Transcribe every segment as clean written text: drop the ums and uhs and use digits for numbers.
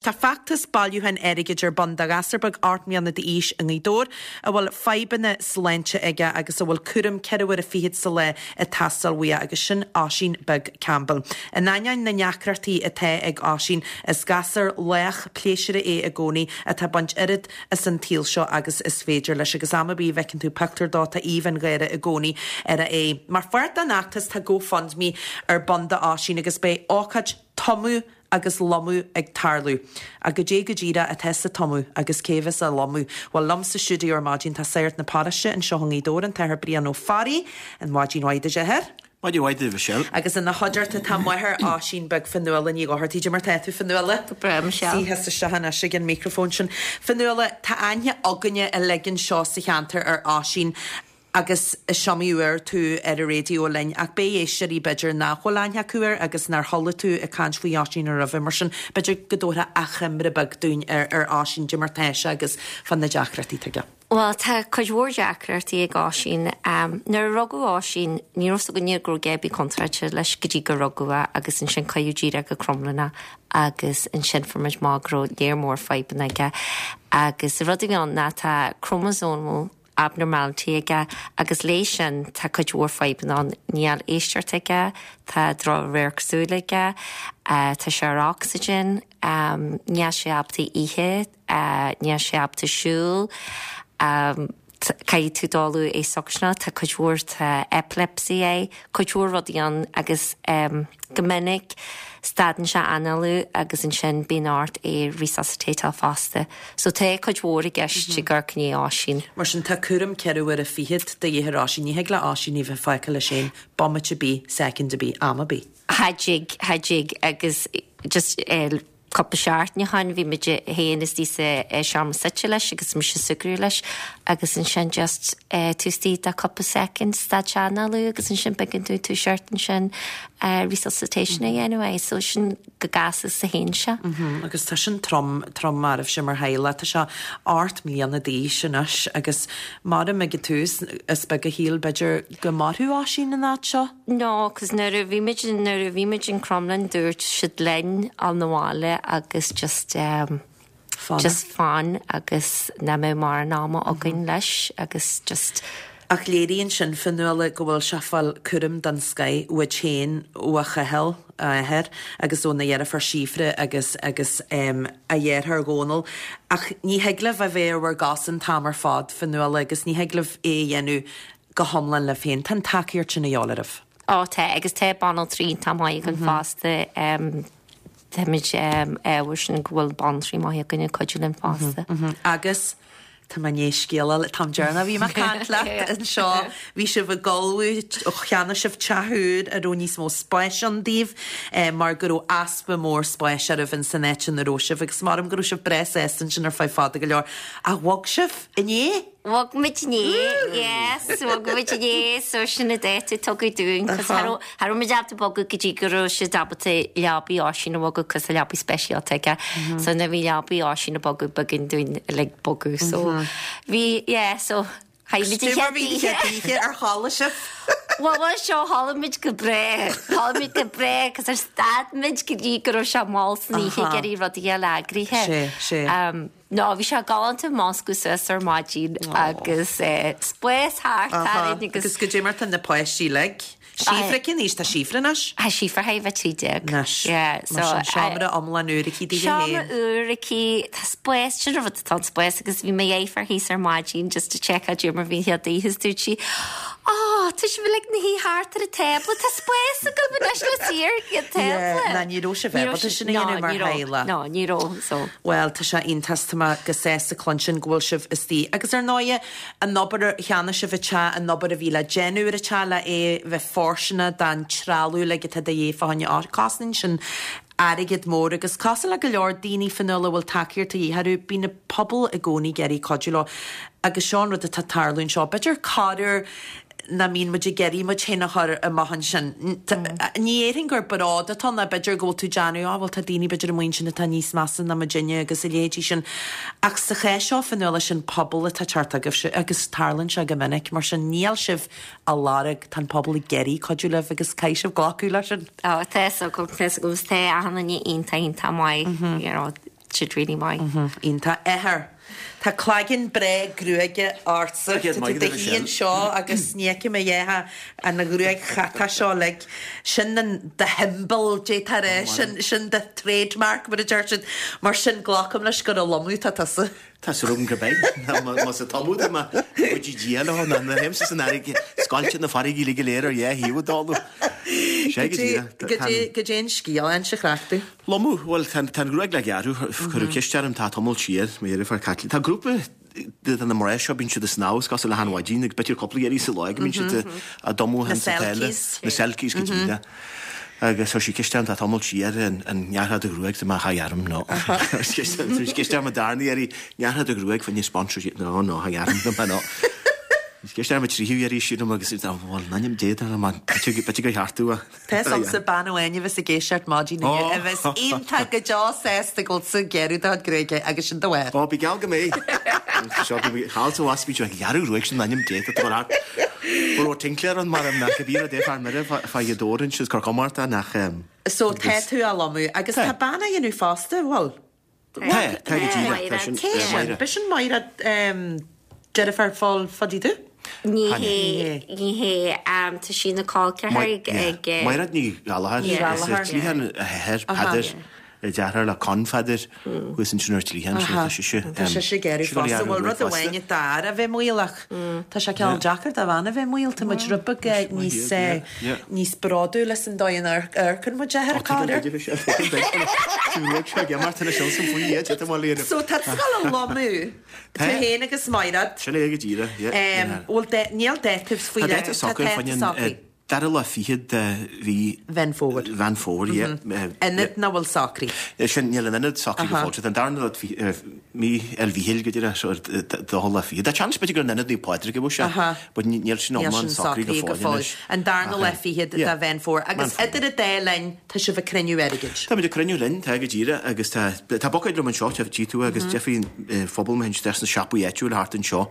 Tá feachtas bailiúcháin airgid ar bun do ghasúr beag 8 mbliana d'aois i nGaoth Dobhair a bhfuil fadhbanna sláinte aige agus a bhfuil cúram 24 uaire sa lá ag teastáil uaidh agus sin Oisín Beag Campbell. In ainneoin na ndeacrachtaí atá ag Oisín, is gasúr lách pléisiúrtha é i gcónaí atá ag baint oiread as an tsaol seo agus is féidir leis agus am ar bith a bhfeiceann tú pictiúr dó tá aoibh an gháire i gcónaí ar a aghaidh. Mar pháirt den fheachtas tá GoFundMe ar bun d'Oisín agus beidh ócáid tumadh agus lomadh ag tarlú. Ach goidé go díreach atá sa tumadh agus cé a bheas á lomadh? Bhuel, liom sa stiúideo ar maidin tá Sagart na paróiste anseo i nGaoth Dobhair, an tAthair Brian Ó Fearraigh. An mhaidin mhaith duit, a Athair. Maidin mhaith duit, Michelle. Agus ina chuideachta tá máthair Oisín beag Fionnuala Ní Dhochartaigh. Goidé mar tá tú, Fionnuala? Go breá, Michelle. Suigh thusa isteach anois ag an micreafón sin. Fionnuala, tá aithne againne uilig anseo sa cheantar ar Oisín Agus is iomaí uair tú ar an raidió linn, ach beidh éisteoirí b'fhéidir nach bhfuil aithne acu air agus nár chuala tú ag caint faoi Oisín roimhe, mar sin b'fhéidir go dtabharfá achoimre beag dúinn ar ar Oisín, goidé mar tá sé agus fá na deacrachtaí atá aige. Bhuel, tá cuid mhór deacrachtaí ag Oisín. Nuair a rugadh Oisín, ní raibh 's againne go raibh a dhath ar bith contráilte leis go dtí gur rugadh é agus ansin cuireadh díreach go Crumlin é agus ansin fuair muid amach go raibh léar mór fadhbanna aige agus an rud a bhí ann ná tá chromosomal abnormality aige agus léi sin tá cuid mhór fadhbanna ann. Níl éisteacht aige, tá droch-radharc súile aige, tá sé ar ocsaigin, níl sé ábalta ithe, níl sé ábalta siúl, caithfidh tú dul é suctionáil, tá cuid mhór, tá epilepsy air, cuid mhór rudaí ann agus go minic stadann sé análú agus ansin bíonn ort é resuscitateáil fosta. So tá cuid mhór i gceist ag amharc i ndiaidh Oisín. Mar sin tá cúram 24 uaire de dhíth ar Oisín. Ní thig le Oisín a bheith fágtha leis féin bomaite ar bith, soicind ar bith, am ar bith. Cha dtig, cha dtig agus just eh cúpla seachtain ó shin bhí muid féin istigh sa seomra suite leis agus mise ag súgradh leis agus ansin just eh taobh istigh de cúpla soicind stad sé análú agus ansin b'éigean dúinn toiseacht ansin eh resuscitation a dhéanamh air so sin go gasta is a théann sé. Agus tá sin trom, trom oraibhse mar theaghlach. Tá sé 8 mbliana d'aois anois agus maram ag an tús is beag a shíl b'fhéidir go mairfeadh Oisín an fhad seo. No, 'cause nuair a bhí muid, nuair a bhí muid in Crumlin dúirt siad linn dul 'na bhaile agus just ehm just fan agus nach mbeadh mórán ama againn leis agus just. Ach léiríonn sin, Fionnuala, go bhfuil sé ag fáil cúram den scoith uait féin, ó a Chathail, a athair, agus óna dheirfiúr Síofra agus agus a dheartháir Dhónal. Ach ní thig libh a bheith ar bhur gcosa an t-am ar fad, Fionnuala, agus ní thig libh é a dhéanamh go hiomlán libh féin. Tá an tacaíocht sin a dhíobháil oraibh. Ó tá, agus tá banaltraí iontach maith againn fosta. Táimid ádhúil sin go bhfuil banaltraí maith againn ag cuidiú linn fosta. Agus tá mé i ndiaidh scéal a fháil, an t-am deireanach a bhí mé ag caint leat anseo, bhí sibh ag ullmhú, cheannaigh sibh teach úr a raibh níos mó spáis ann daoibh mar go raibh easpa mór spáis oraibh in san áit ina raibh sibh agus maram go raibh sibh breá sásta ansin ar feadh fada go leor. Ach bhog sibh inné? Bhog muid inné, yes, bhog muid inné, so sin an dáta a tugadh dúinn, cos cha raibh, cha raibh muid ábalta bogadh go dtí go raibh siad ábalta leabaidh Oisín a bhogadh cos tá leabaidh speisialta aige, so nuair a bhí leabaidh Oisín ag bogadh b'éigean dúinn uilig bogadh, so bhí, yeah, so chaith muid an chéad oíche. Oíche ar chodlaigh sibh? Bhuel, bhuel, seo, chodlaigh muid go breá, chodlaigh muid go breá, cos ar stad muid go dtí go raibh sé mall san oíche ag iarraidh rudaí a fháil eagraithe. Sé, sé. No, bhí sé galánta múscailt suas ar maidin agus spás thart orainn agus. Agus goidé mar tá na páistí uilig? Síofra cén aois tá Síofra anois? Tá Síofra chóir a bheith 13. Anois. Yeah, so. Mar sin seomra iomlán úr aici daoithe féin. Seomra úr aici, tá spás, sin an rud atá an spás agus bhí mo dheirfiúr thíos ar maidin just to checkáil goidé mar bhí an chéad oíche is dúirt sí, Ó, tá sibh uilig ina shuí thart ar an tábla, tá spás agaibh anois le suí ar an tábla. Yeah, ná ní raibh sibh ábalta sin a dhéanamh mar theaghlach. No, ní raibh, so. Bhuel, tá sé iontach, tá mé go sásta cluinstin go bhfuil sibh istigh. Agus ar ndóighe, an obair a cheannaigh sibh an teach, an obair a bhí le déanamh ar an teach le é bheith fóirsteanach don trealamh uilig atá de dhíth fá choinne, cosnaíonn sin airgead mór agus cosúil le go leor daoine Fionnuala a bhfuil tacaíocht a dhíth orthu, bíonn an pobal i gcónaí ag iarraidh cuidiú leo agus seo an rud atá ag tarlú anseo. B'fhéidir corruair nach mbíonn muid ag iarraidh muid féin a chur amach ansin. Ní dhéarfainn gur bród atá ann ná b'fhéidir go bhfuil tú ag déanamh, á bhuel tá daoine b'fhéidir amuigh ansin atá níos measa ná muidinne agus a leithéidí sin. Ach sa chás seo Fionnuala sin pobal atá ag teacht chugaibhse agus tarlaíonn sé go minic mar sin níl sibh á lorg, tá an pobal ag iarraidh cuidiú libh agus caithfidh sibh glacadh leis sin. Ó, tá fhios agam, tá fhios agam, tá achan duine iontach, iontach maith, you know. siad really maith. Iontach. Athair, tá claigeann breá gruaige ortsa. Tá tú do shuí anseo agus ní fheicim a dhath ach an ghruaig chatach seo uilig. Sin an do shiombail, d'fhéadfá a rá. Sin, sin do trademark, mar a deir siad. Mar sin, glacaim leis gur ag lomadh atá tusa. Tá súil agam gurb ea. Más ag tumadh tá mé, go dtí Dia leo, ná na théimse san fharraige, scoilteann na farraigí uilig go léir ar dhá thaobh ag dálú. Sé go díreach. Goidé an scéal, inis an chraic domh. Lomadh, bhuel, tá an ghruaig le gearradh, cuireadh ceist orm tá tamall siar, mo dheirfiúr Caitlín. Tá grúpa de na mná seo, bíonn siad ag snámh, is cosúil le achan mhaidin, agus b'fhéidir cúpla iarraidh sa lá go mbíonn siad ag tumadh Na insa tsáile. Selkies. Na Selkies go díreach. Agus chuir sí ceist orm tá tamall siar, an ngearrfá do ghruaig, dúirt mé cha ghearraim, no. Chuir sí ceist orm an darna iarraidh, ngearrfá do ghruaig fá choinne sponsor, no, no, cha ghearraim, dúirt mé no. Chuir sí ceist orm an tríú iarraidh, sílim, agus bhuel, in ainm Dé, dar liom, b'fhéidir gur cheart domh é. Tá fhios agamsa bean amháin a bheas ag éisteacht maidin inniu a bheas iontach go deo sásta go bhfuil tú ag gearradh do chuid gruaige agus sin do mháthair. Ó, bí geall go mbeidh. Seo, bí thall sa bhas, bí seo ag gearradh gruaig sin in ainm Dé, tá tú mar fhear. Go raibh tincléir ann mar nach go bhí rud é fear mire fá dheadóir ansin, is cur comhartha nach. So tá tú á lomadh agus tá bean á dhéanamh fosta, bhfuil? Tá, tá go díreach, tá sin, Cé sin? Máire. B'shin Máire deirfiúr Phóil Phaidí Dubh? Ní hé, ní hé. Tá sí ina col ceathar ag, ag. Máiréad Ní Ghallchóir. Ní Ghallchóir. Is ar Cliathán a hathair, Peadar, deartháir le Con Pheadair, thuas ansin ar Cliathán, so tá sise. Tá sise ag gearradh fosta. Bhuel, rud amháin é d'fhear a bheith maolach. Tá sé cineál deacair do bhean a bheith maol. Tá muid rud beag níos, níos bródúla san dóigh a n-amharcann muid ar an gcathair. So tá tú ag dul a lomadh, tú féin agus Maighread. Sin é go díreach, yeah. Bhfuil, níl dáta faoi leith, tá dáta socraithe. Dara lá fichead de mhí. Mheán Fómhair. Mheán Fómhair, yeah. Ionad nach bhfuil socraithe. Sin, níl an ionad socraithe go fóill. Tá an darna lá mí El Mhíchíl go díreach, so dócha lá fichead. Tá seans b'fhéidir gur in Ionad Naomh Pádraig a bheadh sé, but níl sin iomlán socraithe go fóill anois. An darna lá fichead de Mheán Fómhair. Agus idir an dá linn, tá sibh ag cruinniú airgid. Táimid ag cruinniú linn, tá go díreach, agus tá tá buicéad liom anseo, tchí tú, agus déarfaí phobal mo théann isteach sna siopaí áitiúil thart anseo.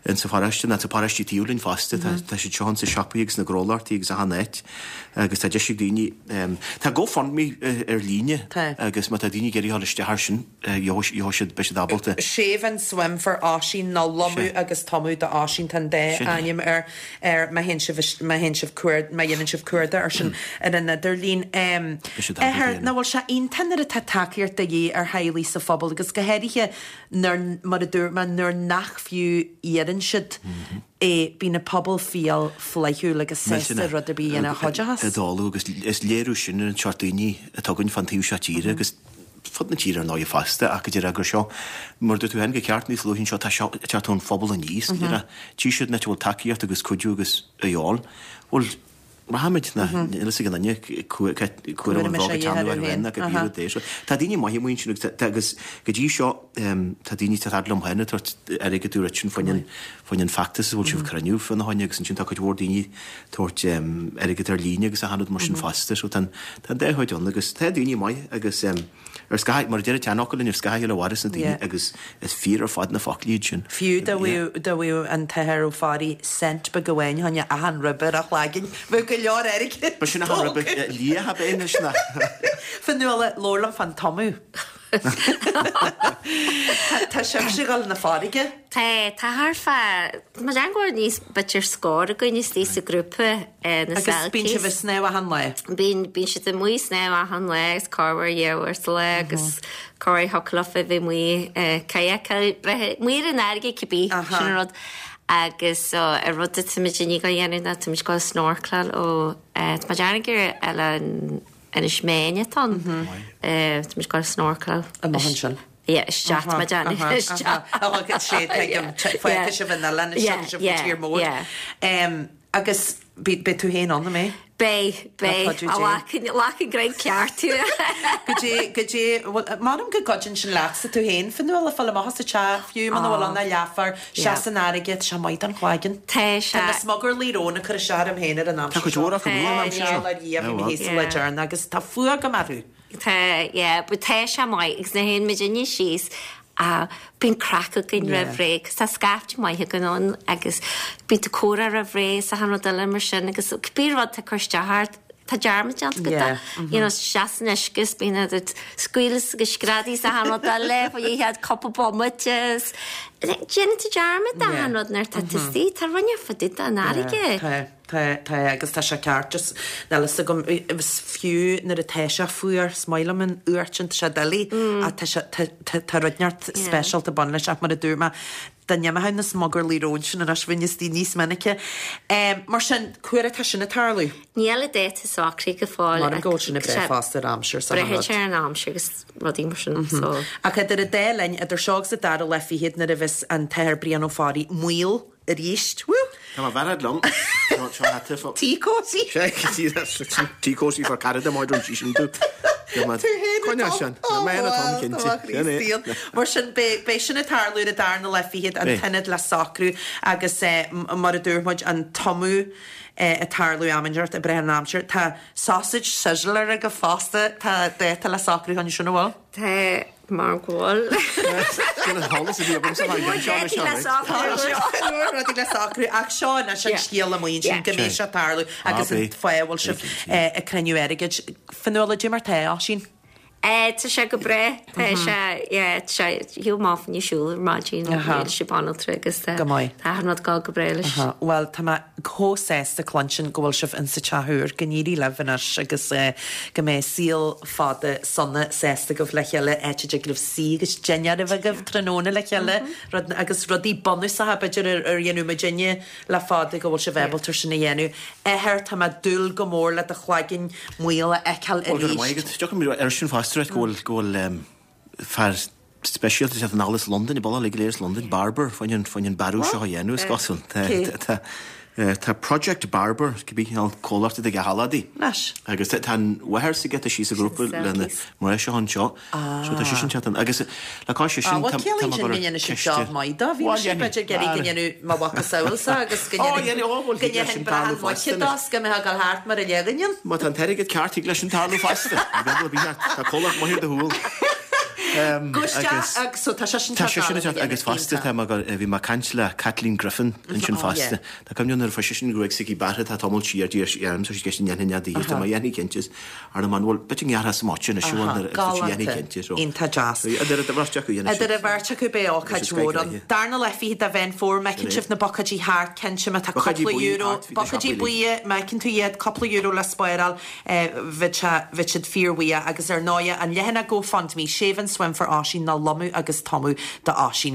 Insa pharóiste, ná sa paróistí taobh linn fosta, tá siad seo insa siopaí agus sna gnólachtaí agus achan áit agus tá deis ag daoine, tá GoFundMe ar líne agus má tá daoine ag iarraidh a dhul isteach air sin, gheobhaidh siad, beidh siad ábalta. Shave and Swim for Oisín nó Lomadh agus Tumadh do Oisín, tá an dá ainm air, ar má théann sibh, má théann sibh cuard, má dhéanann sibh cuardach air sin ar an idirlíon. Athair, nach bhfuil sé iontach nuair atá tacaíocht de dhíth ar theaghlaigh sa phobal agus go háirithe nuair, mar a dúirt mé, nuair nach fiú iarrann siad é, bíonn an pobal fial flaithiúil agus sásta rud ar bith a dhéanamh a chuideochas. I dtólamh agus is léiriú sin ar an seort daoine atá againn fán taobh seo tíre agus fud na tíre ar ndóighe fosta ach go díreach gur seo, mar a dúirt tú féin go ceart níos luaithe anseo, tá seo ag teacht ón phobal aníos go díreach. Tchí siad an áit a bhfuil tacaíocht agus cuidiú agus a dhíobháil. Bhuel, Rachaimid, níl fhios ag aon duine cá huair an bhog ag teannadh orthu féin ná go bíonn rud é seo. Tá daoine maithe amuigh ansin agus tá agus go dtí seo tá daoine tá fhad liom féin ag tabhairt airgead do Richard fá choinne fá choinne an feachtas a bhfuil sibh ag cruinniú fána choinne agus ansin tá cuid mhór daoine ag tabhairt airgead ar líne agus achan rud mar sin fosta so tá an tá an dá chuid ann agus tá daoine maith agus Ar scaitheamh, mar a deir an tseanfhocal linn, ar scaitheamh a mhaireas na daoine agus is fíor ar fad na foclaí iad sin. Fiú dá bhfaigheadh dá bhfaigheadh an t-athair Ó Fearraigh cent beag amháin fá choinne achan ribe ar a chlaigeann, bheadh go leor airgid Ba sin achan ribe liath ab é anois ná. Fionnuala, labhair liom fán tumadh. Tá sibhse ag dul na farraige? Tá, tá thart fá, mo léan go bhfuil níos, b'fhéidir scór againn istigh sa ghrúpa, na Agus bíonn sibh ag snámh achan lá? Bíonn, bíonn siad amuigh ag snámh achan lá agus corruair dhá uair sa lá agus corruair thiocfadh leofa bheith amuigh kayakáil, bheith amuigh ar an fharraige cibé, sin an rud. Agus so, an rud atáimid i ndiaidh a dhéanamh ná táimid ag dul snorkeláil ó, tá muid ag ar oileán Inis Meáin atá ann, táimid ag dul snorkeláil. Amach ansin. Yeah, isteach tá mé ag déanamh, isteach. Ó, sé, tuigim, fágfaidh sibh an oileán isteach sibh go tír mór. Agus beidh tú féin ann, an mbeidh? Beidh, beidh. Ghlac an greim ceart thú. Goidé, goidé, m'anam go gcuidíonn sin leatsa tú féin, Fionnuala, fáil amach as an teach, fiú muna bhfuil ann ach leathuair, seas san fharraige, tá sé maith don chlaigeann. Tá sé. Tá na smugairlí róin ag cur isteach orm féin ar an aimsir seo. Tá cuid mhór acu amuigh an aimsir seo. Ar Dhia, bhí mé thíos sa lá deireanach agus tá fuath agam orthu. Tá, yeah, but tá sé maith agus nuair a théann muidinne síos ah bíonn craic againn roimh ré 'cause tá scaifte maith againn ann agus bíonn tú ag comhrá roimh ré is achan rud eile mar sin agus cibé rud atá ag cur isteach ort. Tá dearmad déanta agat de. You know, isteach san uisce is bíonn ag scaoileadh is ag screadaigh is achan rud eile, fá dhéanamh cúpla bomaite is déanann tú dearmad de achan rud nuair atá tú istigh. Tá ruainne fá dtaobh den fharraige. Tá, tá, tá agus tá sé ceart just níl fhios agam is fiú nuair atá sé fuar is maith liom an fhuacht sin tá sé doiligh ach tá sé tá tá tá rud inteacht speisialta ag baint leis ach mar a dúirt mé Dá n-imeodh na smugairlí róin sin anois bheinn istigh níos minice. Mar sin, cá huair atá sin ag tarlú? Níl an dáta socraithe go fóill. Mar go bhfuil sin ag brath fosta ar aimsir sa Braitheann sé ar an aimsir agus rudaí mar sin so. Ach idir an dá linn, idir seo agus an dara lá fichead nuair a bheas an tAthair Brian Ó Fearraigh maol arís. Woo! Tá mo bhearad liom. Seo seo hata fo. Tea cosy. Tea cosy for Canada má dúirt sí sin tú. Tú féin Coinneáil sin. Ó, Mé bhuel, atá cinnte. tá Sin é. Chríostaíon. Mar sin, beidh beidh sin ag tarlú ar an darna lá fichead, an t-ionad le socrú agus mar a dúirt muid, an tumadh ag tarlú am inteacht ag brath ar an aimsir. Tá sausage sizzler agaibh fosta, tá dáta le socrú chun sin, an bhfuil? Tá Mar go bhfuil. Sin an t-eolas a bhí agamsa fán gceann seo anois, Rudaí le socrú. Rudaí le socrú ach seo anois an scéal amuigh ansin go mbeidh sé ag tarlú agus an fáth a bhfuil sibh ag cruinniú airgid. Fionnuala, cad é mar tá Oisín? Tá sé go breá. Tá sé, yeah, tá sé, shiúil amach fá choinne siúl ar maidin, níl sé banaltra agus tá Go maith. tá achan rud ag dul go breá leis. Bhuel, tá mé chomh sásta cluinstin go bhfuil sibh insa teach úr. Go n-éirí libh anois agus go mbeidh saol fada sona sásta agaibh le chéile, áit a dtig libh suí agus dinnéar a bheith agaibh tráthnóna le chéile, rud, agus rudaí bunúsacha b'fhéidir ar ar dhéanadh muidinne le fada go bhfuil sibh ábalta sin a dhéanamh. Athair, tá mé ag dúil go mór le do chloigeann maol a fheiceáil Bhuel, go raibh arís. maith agat. Tiocfaidh mé air sin fosta, right, go bhfuil, go bhfuil em, fear speisialta ag teacht anall as Londain, an bealach uilig go léir as Londain, Barber, fá choinne an, fá choinne an bearradh seo a dhéanamh, is cosúil. Tá, Cé? tá, tá Project Barber, cibé cineál comhlacht atá aige thall adaí. Anois. Agus tá an mháthair s'aige, tá sí sa ghrúpa lena mná seo anseo. So tá sise ag teacht ann. Agus le cois sin, Ah, bhuel, tá ciallaíonn mé sin ag go cur ndéanfaidh siad ceiste. job maith dó. Bhí Bhuel, mise b'fhéidir ag iarraidh go ndéanfadh mo mhacasamhailsa agus go Ó, dhéanfaidh, ó, bhuel, go thig leis ndéanfainn sin brachán tarlú muice fosta dó anois. 's go mbeadh ag dul thart mar a leagainn. Má tá an t-airgead ceart, thig leis sin tarlú fosta. Ní bheadh ar bith ort. Tá comhlacht maith ar do chúl. Go isteach agus so tá sé sin Tá sé sin ag teacht agus fosta tá mé ag bhí mé ag caint le Kathleen Griffin ansin fosta. Tá cuimhne nuair a fuair sise an ghruaig s'aici bearrtha tá tamall siar d'iarr sí orm tá sí ceist an ndéanfainn é daoithe tá mé dhéanfaidh cinnte is ar an man bhuel b'fhéidir go ngearrfá sa mbote anois bhuel nuair a tá sí dhéanfaidh cinnte so. Iontach deas. Idir an bheirt acu dhéanfaidh Idir an bheirt acu beidh ócáid mhór ann. Darna lá 20 de Mheán Fómhair má fheiceann sibh na bucáidí thart cinnte má tá cúpla euro bucáidí buí má fheiceann tú iad cúpla euro le spáráil Bheadh sé, bheadh siad fíorbhuíoch agus ar ndóighe an leathanach GoFundMe, Shave and Swim for Oisín nó Lomadh agus Tumadh d'Oisín.